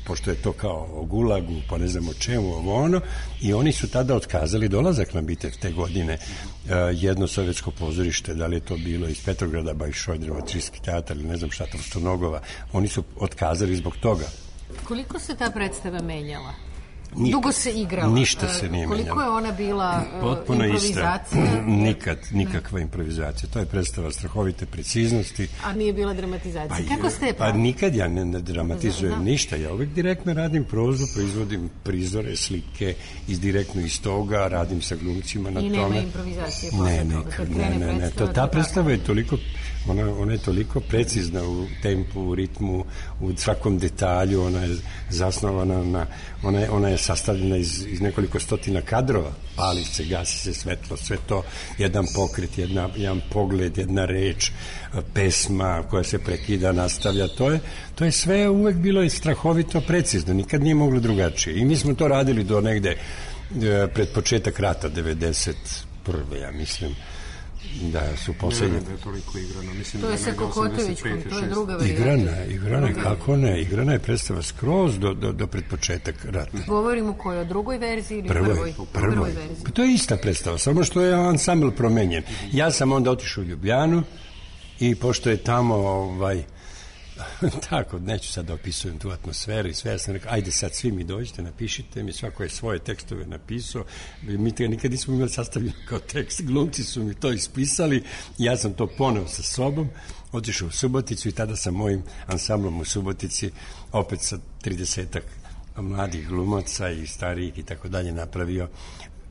pošto je to kao o gulagu, pa ne znam o čemu, ovo ono, i oni su tada otkazali dolazak na bitev te godine. Uh, jedno sovjetsko pozorište, da li je to bilo iz Petrograda, Bajšojdrova, Trijski teatar ili ne znam šta, Trostonogova, oni su otkazali zbog toga. Koliko se ta predstava menjala? Nikad, dugo se igrala. Ništa se nije Koliko menjalo. je ona bila uh, potpuno improvizacija? Ista. Nikad, nikakva improvizacija. To je predstava strahovite preciznosti. A nije bila dramatizacija. Pa, Kako ste je pa nikad ja ne, ne dramatizujem da. ništa. Ja uvek direktno radim prozu, proizvodim prizore, slike, iz direktno iz toga, radim sa glumcima na I tome. I nema improvizacije posle ne, toga. Ne, ne, ne. To, ta predstava je toliko, ona, ona je toliko precizna u tempu, u ritmu, u svakom detalju, ona je zasnovana na, ona je, ona je sastavljena iz, iz nekoliko stotina kadrova, pali se, gasi se svetlo, sve to, jedan pokret, jedna, jedan pogled, jedna reč, pesma koja se prekida, nastavlja, to je, to je sve uvek bilo i strahovito precizno, nikad nije moglo drugačije. I mi smo to radili do negde pred početak rata, devedeset prve ja mislim, da su posljednje. Ne, da je toliko igrano. Mislim, to je sa Kokotovićkom, to je druga varijanta. Igrana, igrana, kako ne, igrana je predstava skroz do, do, do predpočetak rata. Govorimo kojoj, o drugoj verziji ili prvoj? Prvoj, prvoj. prvoj verziji. Pa to je ista predstava, samo što je ansambl promenjen. Ja sam onda otišao u Ljubljanu i pošto je tamo ovaj, tako, neću sad da opisujem tu atmosferu i sve, ja sam rekao, ajde sad svi mi dođite, napišite mi, svako je svoje tekstove napisao, mi te nikad nismo imali sastavljeno kao tekst, glumci su mi to ispisali, ja sam to poneo sa sobom, otišao u Suboticu i tada sam mojim ansamblom u Subotici, opet sa tridesetak mladih glumaca i starijih i tako dalje, napravio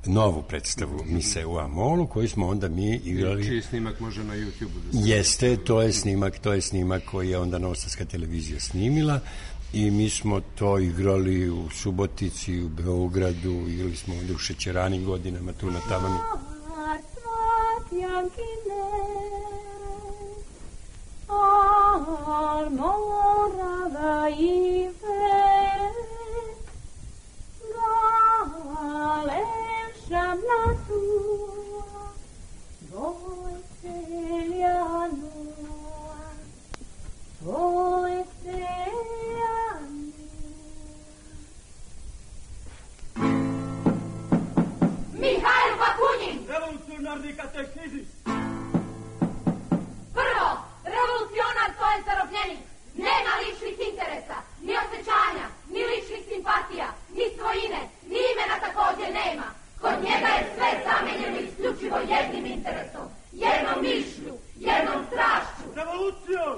novu predstavu Mise u Amolu, koju smo onda mi igrali. Čiji snimak može na YouTube-u da se... Jeste, to je snimak, to je snimak koji je onda Novosadska televizija snimila i mi smo to igrali u Subotici, u Beogradu, igrali smo ovdje u Šećeranim godinama, tu na Tavani. Shamla tua, voi celianoa, voi celianoa. Mihail Bakunin! Revolucionarni katekizis! Prvo, revolucionar to je zarobljenik. Nema ličnih interesa, ni osjećanja, ni ličnih simpatija, ni svojine, ni imena također nema. Kod njega je sve zamenjeno isključivo jednim interesom, jednom mišlju, jednom strašću. Revolucijom!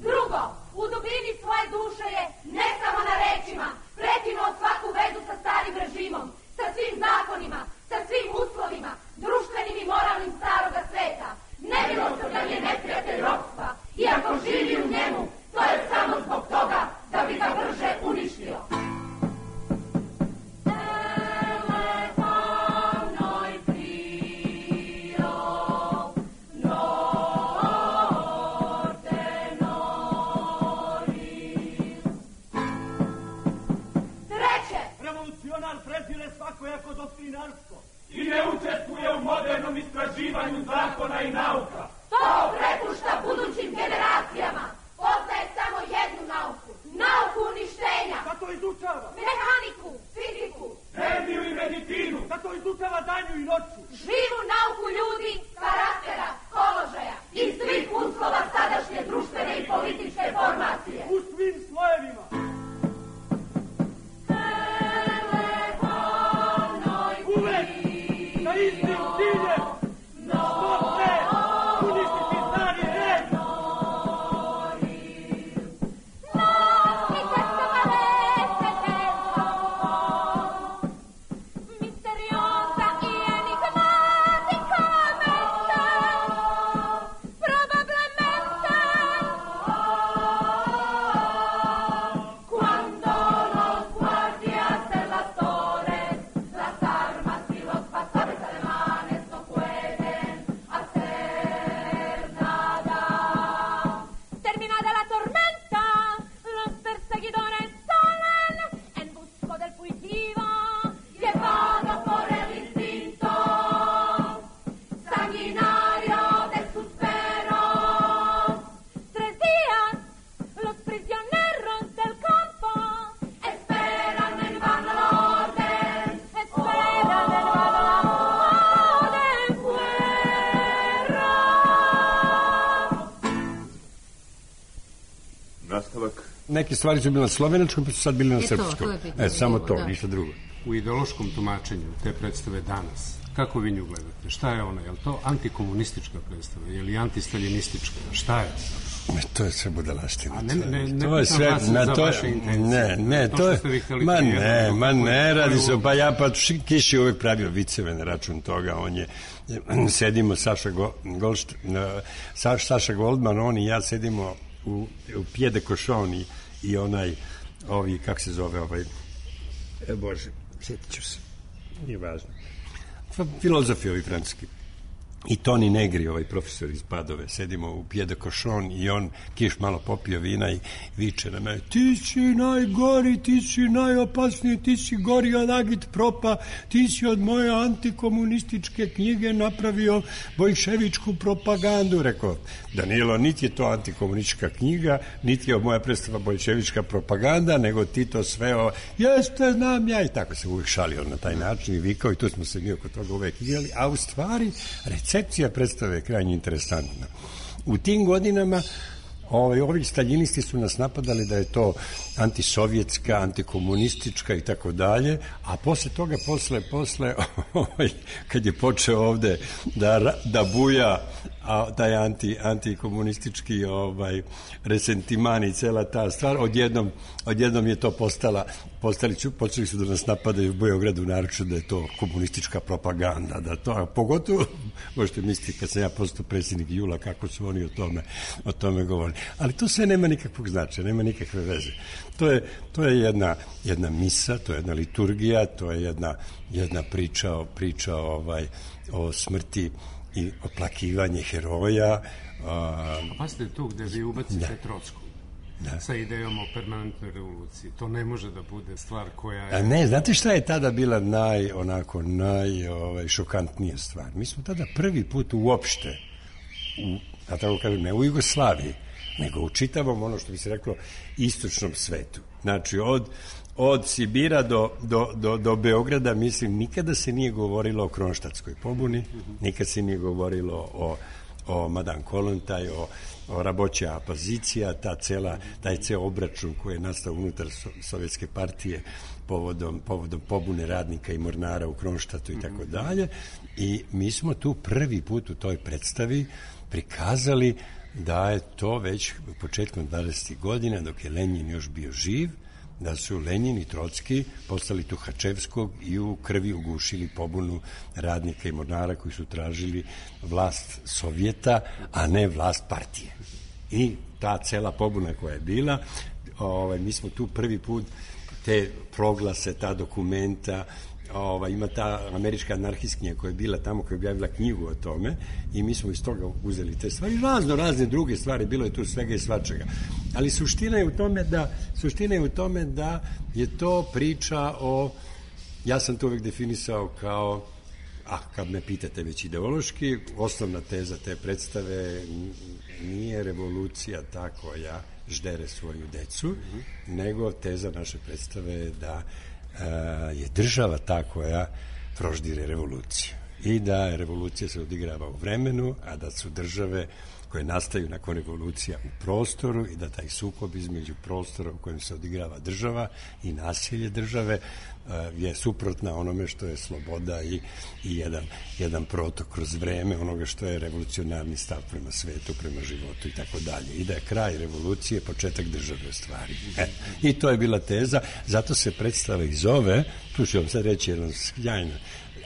Drugo, u dubini svoje duše je, ne samo na rečima, prekinuo svaku vezu sa starim režimom, sa svim zakonima, sa svim uslovima, društvenim i moralnim staroga sveta. Nemilosrdan je neprijatelj ropstva i ako živi u njemu, to je samo zbog toga da bi ga brže uništio. I ne učestvuje u modernom istraživanju zakona i nauka. To prepušta budućim generacijama. Poznaje samo jednu nauku. Nauku uništenja. Da to izučava? Mehaniku, fiziku. Hemiju i medicinu. Da to izučava danju i noću. Živu nauku ljudi, karaktera, položaja i svih uslova sadašnje društvene i političke formacije. U svim slojevima. Uvek sa istim ciljem. Što pre uništiti stari red. Neke stvari su bile na slovenačkom, pa su sad bile na to, srpskom. To e, samo to, da. ništa drugo. U ideološkom tumačenju te predstave danas, kako vi nju gledate? Šta je ona? Je li to antikomunistička predstava? Je li antistaljinistička? Šta je? Ne, to je sve budalaština. A ne, ne, ne, to je sve, na to vaše intencije. Ne, ne, to, to je, ma ne, ma ne, radi se, pa ja, pa Kiš je uvek pravio viceve na račun toga, on je, sedimo Saša, Go, Golšt, Sa, Saša Goldman, on i ja sedimo u, u Pied de Cochon i, i onaj, ovi, kak se zove, ovaj, e, Bože, sjetit ću se, nije važno. Filozofi ovi francuski. i Toni Negri, ovaj profesor iz Padove, sedimo u Pied de Cochon i on kiš malo popio vina i viče na mene, ti si najgori, ti si najopasniji, ti si gori od Agit Propa, ti si od moje antikomunističke knjige napravio bojševičku propagandu. Rekao, Danilo, niti je to antikomunistička knjiga, niti je moja predstava bojševička propaganda, nego ti to sve o... jeste, znam ja, i tako se uvijek šalio na taj način i vikao i tu smo se mi oko toga uvijek igrali, a u stvari recepcija predstave je krajnje interesantna. U tim godinama Ovi, ovi staljinisti su nas napadali da je to antisovjetska, antikomunistička i tako dalje, a posle toga, posle, posle ovaj, kad je počeo ovde da, da buja a, taj anti, antikomunistički ovaj, resentiman i cela ta stvar, odjednom, odjednom je to postala, postali su, počeli su da nas napadaju u Beogradu, naročito da je to komunistička propaganda, da to, a pogotovo, možete misliti kad sam ja postao predsjednik Jula, kako su oni o tome, o tome govorili. Ali to sve nema nikakvog značaja, nema nikakve veze. To je, to je jedna, jedna misa, to je jedna liturgija, to je jedna, jedna priča, o, priča ovaj, o smrti i oplakivanje heroja. A pasite tu gde vi ubacite Trocku. Da. Sa idejom o permanentnoj revoluciji. To ne može da bude stvar koja je... A ne, znate šta je tada bila naj, onako, naj, ovaj, šokantnija stvar? Mi smo tada prvi put uopšte, u, a tako kažem, ne u Jugoslaviji, nego u čitavom, ono što bi se reklo, istočnom svetu. Znači, od, od Sibira do, do, do, do Beograda, mislim, nikada se nije govorilo o Kronštatskoj pobuni, nikad se nije govorilo o, o Madame Kollontaj, o, o Raboća opozicija, ta cela, taj ceo obračun koji je nastao unutar so, Sovjetske partije povodom, povodom pobune radnika i mornara u Kronštatu i tako dalje. I mi smo tu prvi put u toj predstavi prikazali da je to već početkom dvadesetih godina, dok je Lenjin još bio živ, da su Lenjin i Trocki postali Tuhačevskog i u krvi ugušili pobunu radnika i mornara koji su tražili vlast Sovjeta, a ne vlast partije. I ta cela pobuna koja je bila, ovaj, mi smo tu prvi put te proglase, ta dokumenta, Ova, ima ta američka anarhistkinja koja je bila tamo, koja je objavila knjigu o tome i mi smo iz toga uzeli te stvari, razno razne druge stvari, bilo je tu svega i svačega, ali suština je u tome da suština je u tome da je to priča o, ja sam to uvek definisao kao, a kad me pitate već ideološki, osnovna teza te predstave nije revolucija ta koja ždere svoju decu, nego teza naše predstave je da je država ta koja proždire revoluciju i da revolucija se odigrava u vremenu, a da su države koje nastaju nakon revolucija u prostoru i da taj sukob između prostora u kojem se odigrava država i nasilje države je suprotna onome što je sloboda i, i jedan, jedan protok kroz vreme onoga što je revolucionarni stav prema svetu, prema životu i tako dalje. I da je kraj revolucije početak države u stvari. E, I to je bila teza, zato se predstava i zove, tu ću vam sad reći jednu sjajnu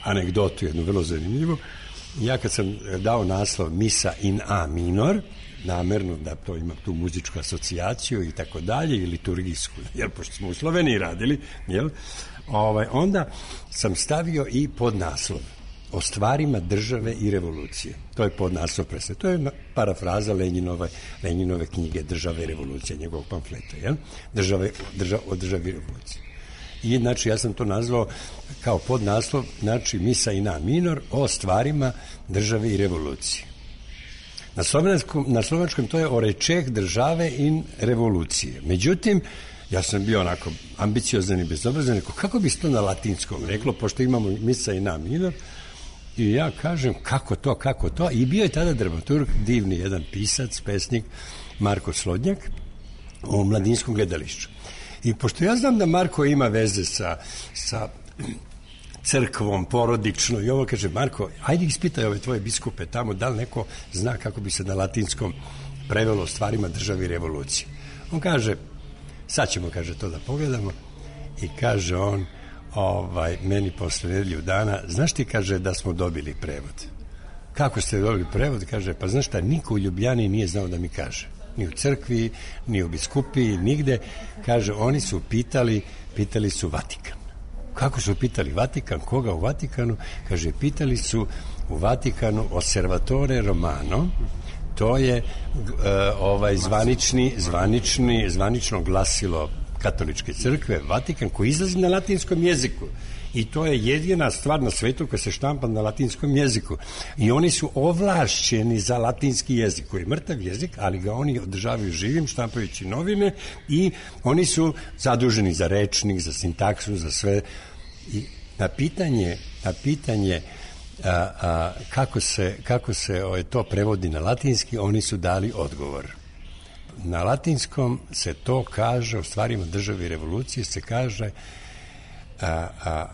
anegdotu, jednu vrlo zanimljivu. Ja kad sam dao naslov Misa in A minor, namerno da to ima tu muzičku asocijaciju i tako dalje, i liturgijsku, jer pošto smo u Sloveniji radili, jel, ovaj, onda sam stavio i podnaslov o stvarima države i revolucije. To je podnaslov predstave. To je parafraza Lenjinove, Lenjinove knjige Država i revolucija, njegovog pamfleta, jel? Države, drža, o državi i revoluciji. I znači ja sam to nazvao kao podnaslov, znači Misa in A minor o stvarima države i revolucije. Na slovenačkom, na slovenačkom to je o rečeh države in revolucije. Međutim, ja sam bio onako ambiciozan i bezobrazan, rekao, kako bi se to na latinskom reklo, pošto imamo Misa in A minor, i ja kažem, kako to, kako to, i bio je tada dramaturg, divni jedan pisac, pesnik, Marko Slodnjak, o Mladinskom gledališću. I pošto ja znam da Marko ima veze sa, sa crkvom, porodično, i ovo kaže, Marko, ajde ispitaj ove tvoje biskupe tamo, da li neko zna kako bi se na latinskom prevelo stvarima države i revolucije. On kaže, sad ćemo, kaže, to da pogledamo, i kaže on, ovaj, meni posle nedelju dana, znaš ti, kaže, da smo dobili prevod. Kako ste dobili prevod? Kaže, pa znaš šta, niko u Ljubljani nije znao da mi kaže. Ni u crkvi, ni u biskupiji, nigde. Kaže, oni su pitali, pitali su Vatikan. Kako su pitali Vatikan? Koga u Vatikanu? Kaže, pitali su u Vatikanu Osservatore Romano, to je uh, ovaj zvanični, zvanični, zvanično glasilo katoličke crkve, Vatikan, koji izlazi na latinskom jeziku. I to je jedina stvar na svetu koja se štampa na latinskom jeziku. I oni su ovlašćeni za latinski jezik, koji je mrtav jezik, ali ga oni održavaju živim, štampajući novine, i oni su zaduženi za rečnik, za sintaksu, za sve. I na pitanje, na pitanje a, a, kako se, kako se o, to prevodi na latinski, oni su dali odgovor. Na latinskom se to kaže, u stvarima države i revolucije se kaže a, a,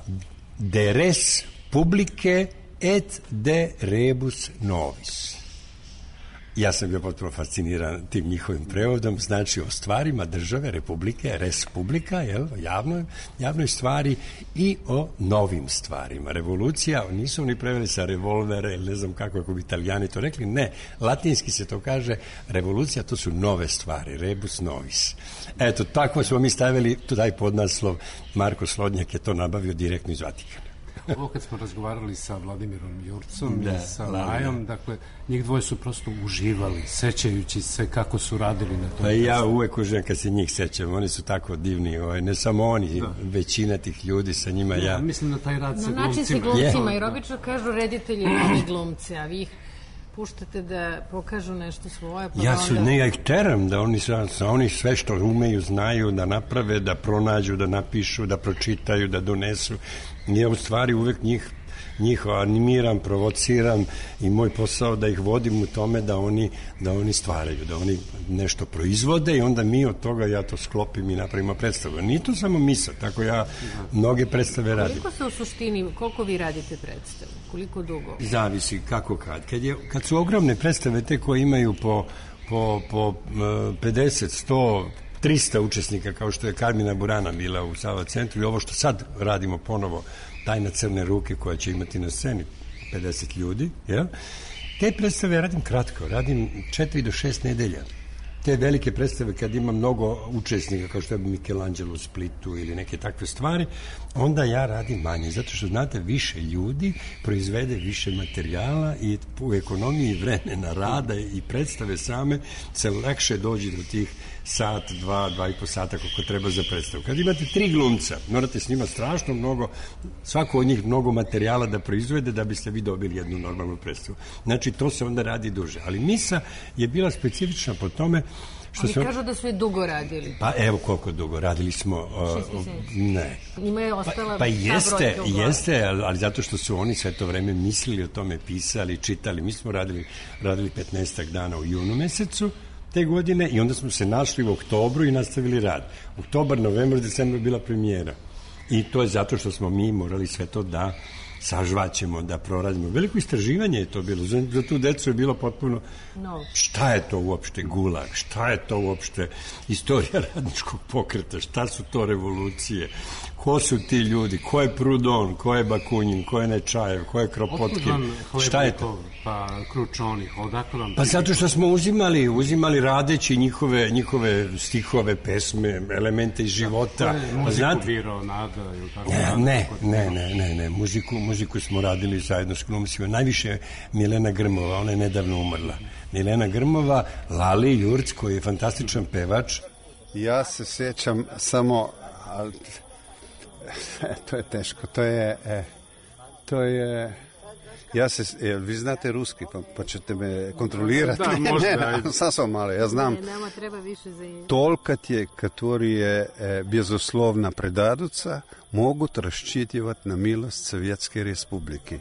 de res publice et de rebus novis. Ja sam bio potpuno fasciniran tim njihovim prevodom, znači o stvarima države, republike, res publica, jel, javnoj, javnoj stvari, i o novim stvarima. Revolucija, nisu oni preveli sa revolvere, ne znam kako, ako bi Italijani to rekli, ne, latinski se to kaže, revolucija, to su nove stvari, rebus novis. Eto, tako smo mi stavili taj podnaslov, Marko Slodnjak je to nabavio direktno iz Vatikana. Ovo kad smo razgovarali sa Vladimirom Jurcom da, i sa Majom, dakle, njih dvoje su prosto uživali, sećajući se kako su radili na tom. Pa ja uvek uživam kad se njih sećam, oni su tako divni, ovaj, ne samo oni, da. Većina tih ljudi sa njima, ja... ja mislim na taj rad sa glumcima. Na način sa glumcima, jer obično kažu reditelji i glumci, a vi ih puštate da pokažu nešto svoje. Pa ja su, onda... ne, ja ih teram da oni, oni sve što umeju, znaju da naprave, da pronađu, da napišu, da pročitaju, da donesu. Ja u stvari uvek njih, njih animiram, provociram, i moj posao da ih vodim u tome da oni, da oni stvaraju, da oni nešto proizvode, i onda mi od toga, ja to sklopim i napravimo predstavu. Nije to samo misa, tako ja mnoge predstave radim. Koliko se u suštini, koliko vi radite predstavu? Koliko dugo? Zavisi kako kad. Kad, je, kad su ogromne predstave, te koje imaju po, po, po pedeset, sto, trista učesnika, kao što je Karmina Burana bila u Sava centru, i ovo što sad radimo ponovo, Tajna crne ruke, koja će imati na sceni pedeset ljudi, jel? Te predstave radim kratko, radim četiri do šest nedelja. Te velike predstave, kad ima mnogo učesnika, kao što je Michelangelo u Splitu ili neke takve stvari, onda ja radim manje, zato što, znate, više ljudi proizvede više materijala, i u ekonomiji vremena rada i predstave same se lakše dođe do tih sat, dva, dva i po sata koliko treba za predstavu. Kad imate tri glumca, morate s njima strašno mnogo, svako od njih mnogo materijala da proizvede da biste vi dobili jednu normalnu predstavu. Znači, to se onda radi duže. Ali misa je bila specifična po tome što Oni se... kažu da su je dugo radili. Pa evo koliko dugo. Radili smo... Uh, ne. Njima je ostala... Pa, pa jeste, jeste, ali zato što su oni sve to vreme mislili o tome, pisali, čitali. Mi smo radili, radili petnaestak dana u junu mesecu te godine, i onda smo se našli u oktobru i nastavili rad. Oktobar, novembar, decembar bila premijera. I to je zato što smo mi morali sve to da sažvaćemo, da proradimo. Veliko istraživanje je to bilo. Za, za tu decu je bilo potpuno... No. Šta je to uopšte gulag? Šta je to uopšte istorija radničkog pokreta? Šta su to revolucije? Ko su ti ljudi? Ko je Prudon? Ko je Bakunin? Ko je Nečajev? Ko je Kropotkin? Šta je to? Pa Kručonih, odakle vam... Pa zato što smo uzimali, uzimali radeći njihove, njihove stihove, pesme, elemente iz života. Da, muziku znate, birao Nada ili tako? Ne, ne, ne, ne, ne, ne. Muziku, muziku smo radili zajedno s glumcima. Najviše Milena Grmova, ona je nedavno umrla. Milena Grmova, Lali Jurc, koji je fantastičan pevač. Ja se sjećam samo... Ali, to je teško, to je... E, to je... Ja se, jel, vi znate ruski, pa, pa ćete me kontrolirati. Da, možda. Ne, ne, sasvim malo, ja znam. Ne, nama treba više za... Толкът е, который е безусловна предадуца, могут рассчитывать на милост Советской Республики.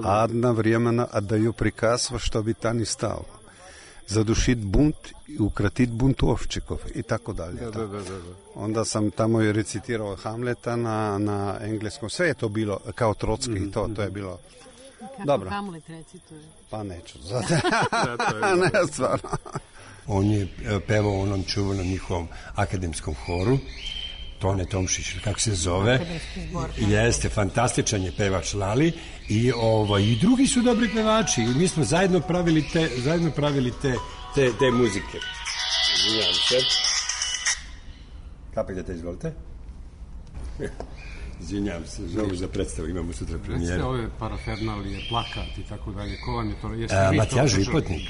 А одновременно отдаю приказ, во что бы то ни стало. Задушить бунт и укротить бунтовщиков и tako dalje. Da, da, da, da. Onda sam tamo i recitirao Hamleta na, na engleskom. Sve je to bilo kao Trotski mm-hmm. i to, to je bilo... Kako dobro. Hamlet recituje? Pa neću. Ne, stvarno. On je pevao u onom čuvanom njihovom akademskom horu, Tone Tomšić, kako se zove. Jeste, fantastičan je pevač Lali, i, ovo, i drugi su dobri pevači, i mi smo zajedno pravili te, zajedno pravili te, te, te muzike. Izvinjam se. Kapite, izvolite. Izvinjam se, zovu za predstavu, imamo sutra premijeru. Recite ove parafernalije, plakat i tako dalje, ko vam je to? A, Matjaž Vipotnik.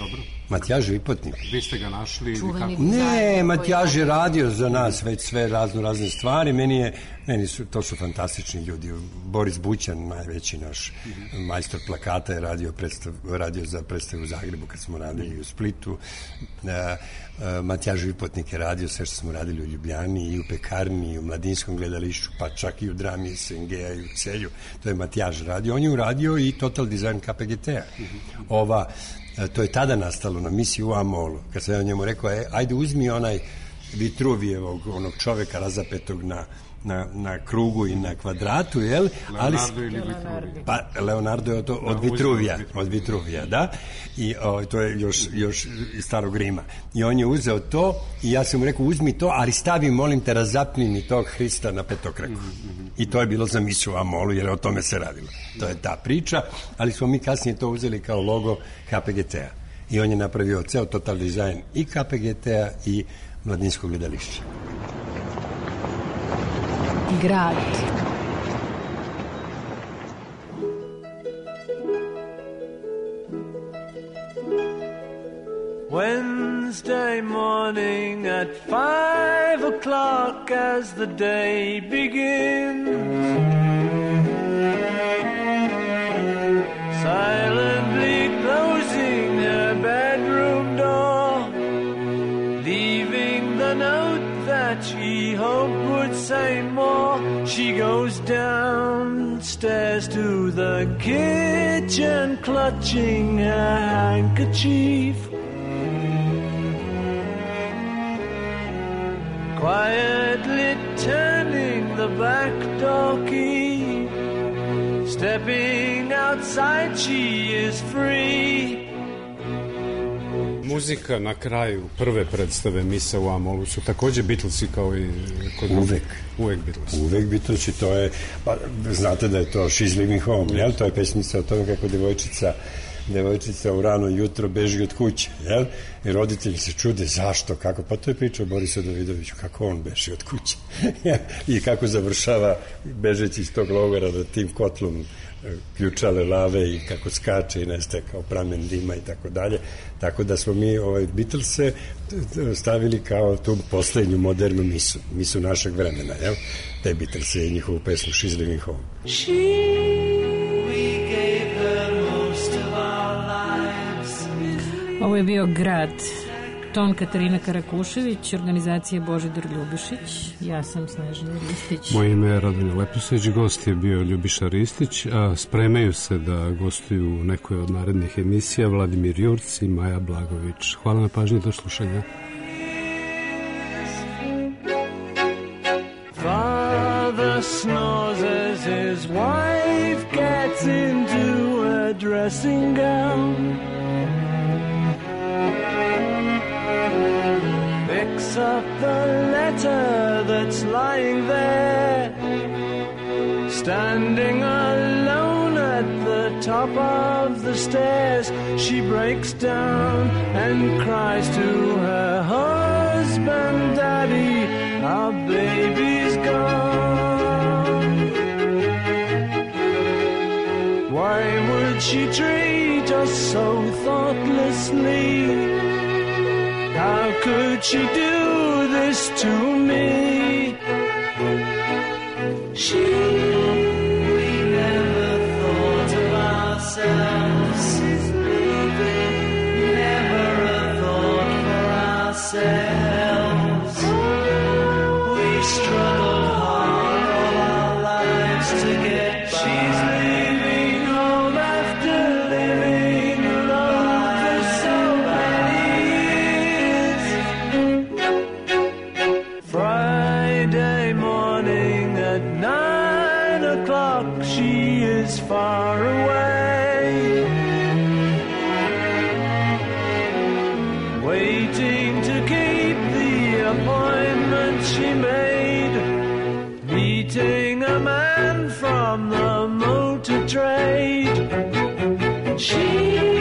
Matjaž Vipotnik. Vi ste ga našli? Ne, Matjaž je radio za nas već sve razno razne stvari. Meni je, meni su, to su fantastični ljudi. Boris Bućan, najveći naš mm-hmm. majstor plakata, je radio, predstav, radio za predstavu u Zagrebu kad smo radili u Splitu. E, Matjaž Vipotnik je radio sve što smo radili u Ljubljani i u Pekarni i u Mladinskom gledališću, pa čak i u drami S N G-a i u Celju. To je Matjaž radio. On je uradio i Total Design K P G T-a. Ova, to je tada nastalo na misiji u Amolu. Kad sam ja njemu rekao, e, ajde uzmi onaj Vitruvijevog, onog čoveka razapetog na Na, na krugu i na kvadratu, jel? Leonardo ili Vitruvija? Pa, Leonardo je od, od Vitruvija, od Vitruvija, da. I o, to je još, još iz starog Rima. I on je uzeo to i ja sam mu rekao, uzmi to, ali stavi, molim te, razapni mi tog Hrista na petokraku. Mm-hmm. I to je bilo za misu u Amolu, jer o tome se radilo. To je ta priča, ali smo mi kasnije to uzeli kao logo K P G T-a. I on je napravio ceo total dizajn i K P G T-a i Mladinskog gledališća. Grad. Wednesday morning at five o'clock as the day begins, silently closing her bedroom door, leaving the note that she hoped would say more. She goes downstairs to the kitchen, clutching her handkerchief, quietly turning the back door key. Stepping outside, she is free. Muzika na kraju prve predstave Misa u Amolu su takođe Beatlesi kao i kod uvek. Uvek Beatlesi. Uvek Beatlesi, to je, pa znate da je to She's Leaving Home, jel? To je pesmica o tome kako devojčica devojčica u rano jutro beži od kuće, jel? I roditelji se čude zašto, kako, pa to je priča o Borisu Davidoviću, kako on beži od kuće i kako završava bežeći iz tog logora da tim kotlom ključale lave i kako skače i nestaje kao pramen dima i tako dalje. Tako da smo mi ovaj Beatlese stavili kao tu poslednju modernu misu, misu našeg vremena, jel? Te Beatlese i njihovu pesmu She's Leaving Home. She, we gave her most of our lives. Ovo je bio Grad. Ton Katarina Karakušević, organizacija Božidar Ljubišić, ja sam Snežana Ristić. Moje ime je Radmila Leposeć, gost je bio Ljubiša Ristić, a spremaju se da gostuju u nekoj od narednih emisija Vladimir Jurc i Maja Blagović. Hvala na pažnji, do slušanja. Father snores as his wife gets into a dressing gown, picks up the letter that's lying there, standing alone at the top of the stairs. She breaks down and cries to her husband, Daddy, our baby's gone. Why would she treat us so thoughtlessly? How could she do this to me? She, we never thought of ourselves, never a thought for ourselves. We struggled hard all our lives to get by. She's leaving home after living alone for so many. Friday morning at nine o'clock, she is far away, waiting to keep the appointment she made, meeting a man from the motor trade. She